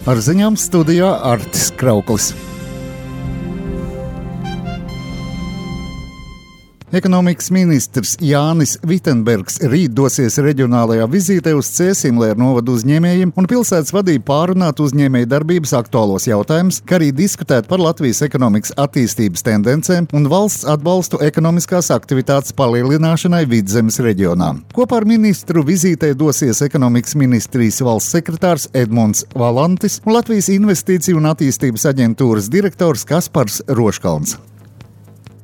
Ar ziņām studijā Artis Krauklis. Ekonomikas ministrs Jānis Vitenbergs rīt dosies reģionālajā vizītē uz Cēsimlēru novadu uzņēmējiem un pilsētas vadību pārunāt uzņēmēju darbības aktuālos jautājumus, kā arī diskutēt par Latvijas ekonomikas attīstības tendencēm un valsts atbalstu ekonomiskās aktivitātes palielināšanai Vidzemes reģionā. Kopā ar ministru vizītē dosies ekonomikas ministrijas valsts sekretārs Edmunds Valantis un Latvijas investīciju un attīstības aģentūras direktors Kaspars Roškalns.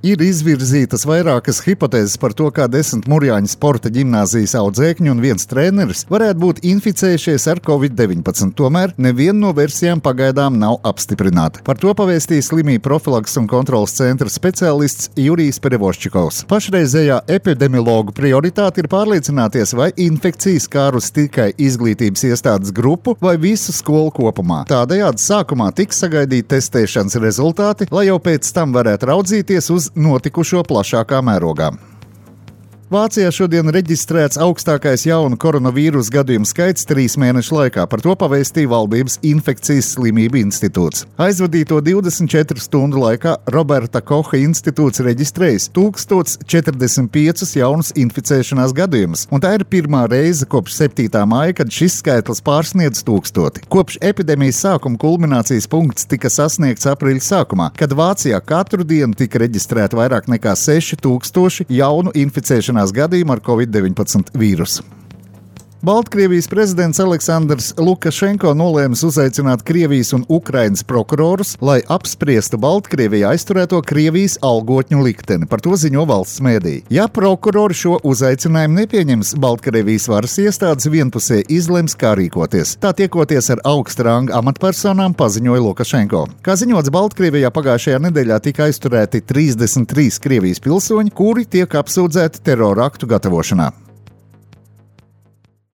Ir izvirzītas vairākas hipotēzes par to, kā 10 Murjāņu sporta ģimnāzijas audzēkņi un viens treneris varētu būt inficējušies ar Covid-19. Tomēr neviena no versijām pagaidām nav apstiprināta. Par to pavēstīja slimību profilakses un kontrolas centra speciālists Jurijs Perevoščikovs. Pašreizējā epidemiologu prioritāte ir pārliecināties, vai infekcijas skārus tikai izglītības iestādes grupu vai visu skolu kopumā. Tādējādi sākumā tiks sagaidīti testēšanas rezultāti, lai jau pēc tam varētu raudzīties uz notikušo plašākā mērogā. Vācijā šodien reģistrēts augstākais jaunu koronavīrusu gadījumu skaits 3 mēnešu laikā. Par to pavēstīja Valdības infekcijas slimību institūts. Aizvadīto 24 stundu laikā Roberta Koha institūts reģistrējis 1045 jaunus inficēšanās gadījumus, un tā ir pirmā reize kopš 7. māja, kad šis skaitlis pārsniedz 1000. Kopš epidēmijas sākuma kulminācijas punkts tika sasniegts aprīļa sākumā, kad Vācijā katru dienu tika reģistrēta vairāk nekā 6000 jaunu inficēšanās gadījumu ar Covid-19 vīrusu. Baltkrievijas prezidents Aleksandrs Lukašenko nolēma uzaicināt Krievijas un Ukrainas prokurorus, lai apspriestu Baltkrievijā aizturēto Krievijas algotņu likteni. Par to ziņo valsts mēdīji. Ja prokurori šo uzaicinājumu nepieņems, Baltkrievijas varas iestādes vienpusēji izlems, kā rīkoties. Tā tiekoties ar augsta ranga amatpersonām, paziņoja Lukašenko. Kā ziņots, Baltkrievijā pagājušajā nedēļā tika aizturēti 33 Krievijas pilsoņi, kuri tiek apsūdzēti terora aktu gatavošanā.